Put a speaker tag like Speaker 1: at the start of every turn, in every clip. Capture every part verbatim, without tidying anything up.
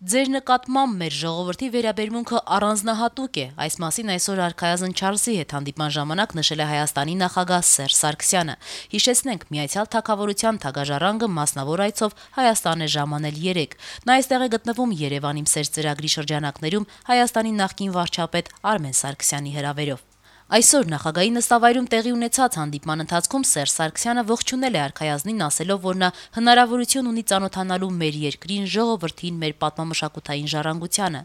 Speaker 1: Ձեր նկատմամբ մեր ժողովրդի վերաբերմունքը առանձնահատուկ է, այս մասին այսօր Արքայազն Չարլզի հետ հանդիպման ժամանակ նշել է Հայաստանի նախագահ Սերժ Սարգսյանը։ Հիշեցնենք, Միացյալ Թագավորության թագաժառանգը մասնավոր այցով Հայաստան է ժամանել երեկ։ Նա այստեղ է գտնվում Երևան իմ սեր ծրագրի շրջանակներում Հայաստանի նախկին վարչապետ Արմեն Սարգսյանի հրավերով։ Այսօր նախագահի նստավայրում տեղի ունեցած հանդիպման ընթացքում Սերժ Սարգսյանը ողջունել է Արքայազնին, ասելով, որ նա հնարավորություն ունի ծանոթանալու մեր երկրին, ժողովրդին, մեր պատմամշակութային ժառանգությանը,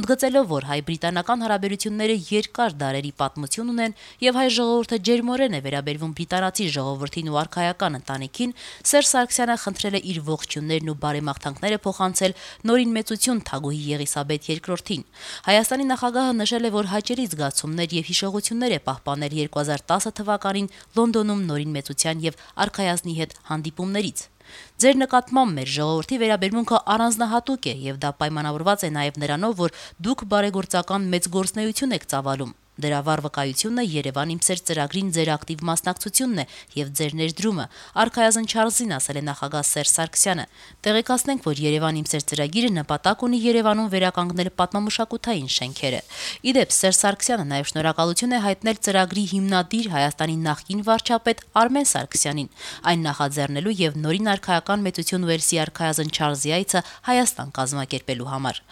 Speaker 1: ընդգծելով, որ հայ-բրիտանական հարաբերությունները երկար դարերի պատմություն ունեն եւ հայ ժողովուրդը ջերմորեն է վերաբերվում բրիտանացի ժողովրդին ու արքայական ընտանիքին, Սերժ Սարգսյանը խնդրել է իր ողջույններն ու բարեմաղթանքները փոխանցել նորին մեծություն թագուհի Եղիսաբեթ երկրորդին։ Հայաստանի նախագահը նշել է, որ հաճելի զգացումներ եւ հիշողություններ է պահպանել երկու հազար տասը թվականին Լոնդոնում նորին մեծության եւ Արքայազնի հետ հանդիպումներից։ Ձեր նկատմամբ մեր ժողովրդի վերաբերմունքը առանձնահատուկ է եւ դա պայմանավորված է նաեւ նրանով, որ դուք բարեգործական մեծ գործունեություն եք ծավալում։ Դրա վառ վկայությունը Երևան իմ սեր ծրագրին ձեր ակտիվ մասնակցությունն է եւ ձեր ներդրումը, Արքայազն Չարլզին ասել է նախագահ Սերժ Սարգսյանը։ Տեղեկացնենք, որ Երևան իմ սեր ծրագիրը նպատակ ունի Երևանում վերականգնել պատմամշակութային շենքերը։ Իդեպ Սերժ Սարգսյանը նաեւ շնորհակալություն է հայտնել ծրագրի հիմնադիր Հայաստանի նախկին վարչապետ Արմեն Սարգսյանին, այն նախաձեռնելու եւ նորին արքայական մեծություն Ուելսի Արքայազն Չարլզի այցը Հայաստան կազմակերպելու համար։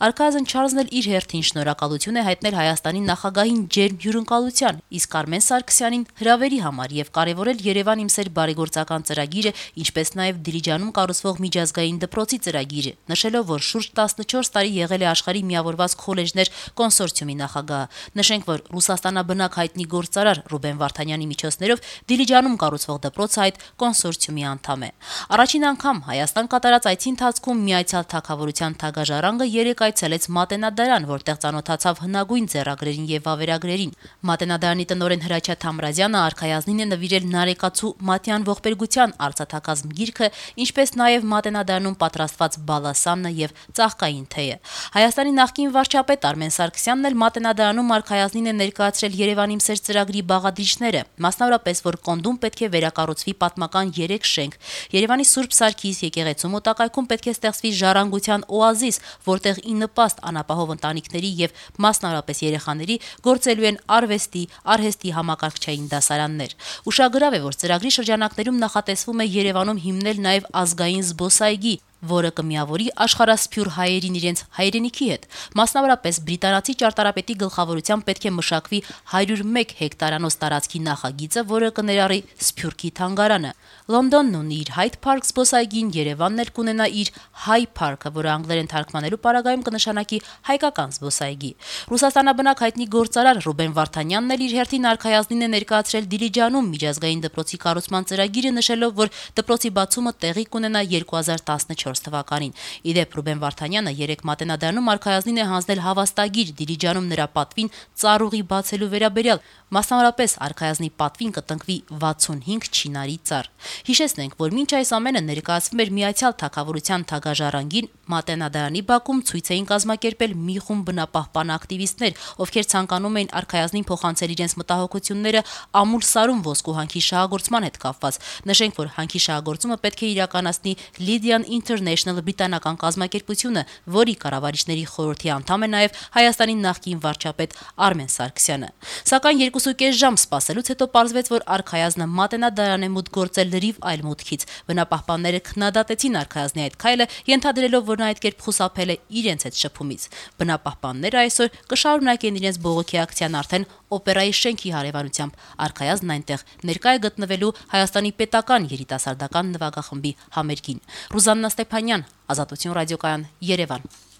Speaker 1: Արքայազն Չարլզն էլ իր հերթին շնորհակալություն է հայտնել Հայաստանի նախագահին ջերմ հյուրընկալության, իսկ Արմեն Սարգսյանին հրավերի համար եւ կարեւորել Երևան իմ սեր բարեգործական ծրագիրը, ինչպես նաեւ Դիլիջանում կառուցվող միջազգային դպրոցի ծրագիրը, նշելով, որ շուրջ տասնչորս տարի եղել է աշխարհի միավորված քոլեջներ կոնսորցիումի նախագահը։ Նշենք, որ Ռուսաստանաբնակ հայտնի գործարար Ռուբեն Վարդանյանի միջոցներով Դիլիջանում կառուցվող դպրոցը այդ կոնսորցիումի անդամ է։ Առաջին անգամ Հայաստան կատարած այցի ընթացքում Միացյալ Թագավորության թագաժառանգը երեկ այցելեց Մատենադարան, որտեղ ծանոթացավ հնագույն ձեռագրերին եւ վավերագրերին։ Մատենադարանի տնօրեն Հրաչյա Թամրազյանը Արքայազնին է նվիրել Նարեկացու Մատյան ողբերգության արծաթակազմ գիրքը, ինչպես նաեւ Մատենադարանում պատրաստված բալասանը եւ ծաղկային թեյը։ Հայաստանի նախկին վարչապետ Արմեն Սարգսյանն էլ Մատենադարանում Արքայազնին է ներկայացրել Երևան իմ սեր ծրագրի բաղադրիչները, մասնավորապես, որ Կոնդում պետք է վերակառուցվի պատմական երեք շենք։ Երևանի Սուրբ Սարգիս եկեղեցու մոտակայքում պետք է ստեղծվի ժառանգության օազիս, որտեղ ի նպաստ անապահով ընտանիքների եւ մասնավորապես երեխաների գործելու են արվեստի, արհեստի համակարգչային դասարաններ։ Ուշագրավ է, որ ծրագրի շրջանակներում նախատեսվում է Երևանում հիմնել նաեւ ազգային զբոսայգի, որը կմիավորի աշխարհասփյուր հայերին իրենց հայրենիքի հետ։ Մասնավորապես բրիտանացի ճարտարապետի գլխավորությամբ պետք է մշակվի հարյուր մեկ հեկտարանոց տարածքի նախագիծը, որը կներառի Սփյուռքի թանգարանը։ Լոնդոնն ունի իր Hyde Park զբոսայգին, Երևանն էլ կունենա իր High Park-ը, որը անգլերեն թարգմանելու պարագայում կնշանակի հայկական զբոսայգի։ Ռուսաստանաբնակ հայտնի գործարար Ռուբեն Վարդանյանն էլ իր հերթին Արքայազնին է ներկայացրել Դիլիջանում միջազգային դպրոցի կառուցման ծրագիրը, նշելով, որ դպրոցի բացումը տեղի կունենա երկու հազար տասնչորս թվականին։ Իդեպ Ռուբեն Վարդանյանը երեկ Մատենադարանում Արքայազնին է հանձնել հավաստագիր Դիլիջանում նրա պատվին ծառուղի բացելու վերաբերյալ, մասնավորապես Արքայազնի պատվին կտնկվի վաթսունհինգ չինարի ծառ։ Հիշեցնենք, որ մինչ այս ամենը ներկայացվում էր Միացյալ Թագավորության թագաժառանգին, Մատենադարանի բակում ցույց էին կազմակերպել մի խումբ բնապահպան ակտիվիստներ, ովքեր ցանկանում էին Արքայազնին փոխանցել իրենց մտահոգությունները ամուր սարում ոսկու հանքի շահագործման հետ կապված։ Նշենք, որ հանքի շահագործումը պետք է իրականացնի Lydian International բրիտանական կազմակերպությունը, որի կառավարիչների խորհրդի անդամ է նաև Հայաստանի նախկին վարչապետ Արմեն Սարգսյանը։ Սակայն երկուսուկես ժամ սպասելուց հետո պարզվեց, որ Արքայազնը Մատենադարան է մուտք գործել լրիվ այլ մուտքից։ Բնապահպանները քննադատեցին Արքայազնի այդ քայլը, ենթադրելով, որ նա այդ կերպ խուսափել է իրենց հետ շփումից։ Բնապահպանները այսօր կշարունակեն իրենց բողոքի ակցիան արդեն օպերայի շենքի հարևանությամբ։ Արքայազնն այնտեղ ներկա է գտնվելու Հայաստանի պետական երիտասարդական նվագախմբի համերգին։ Ռուզաննա Ստեփանյան, Ազատություն ռադիոկայան, Երևան։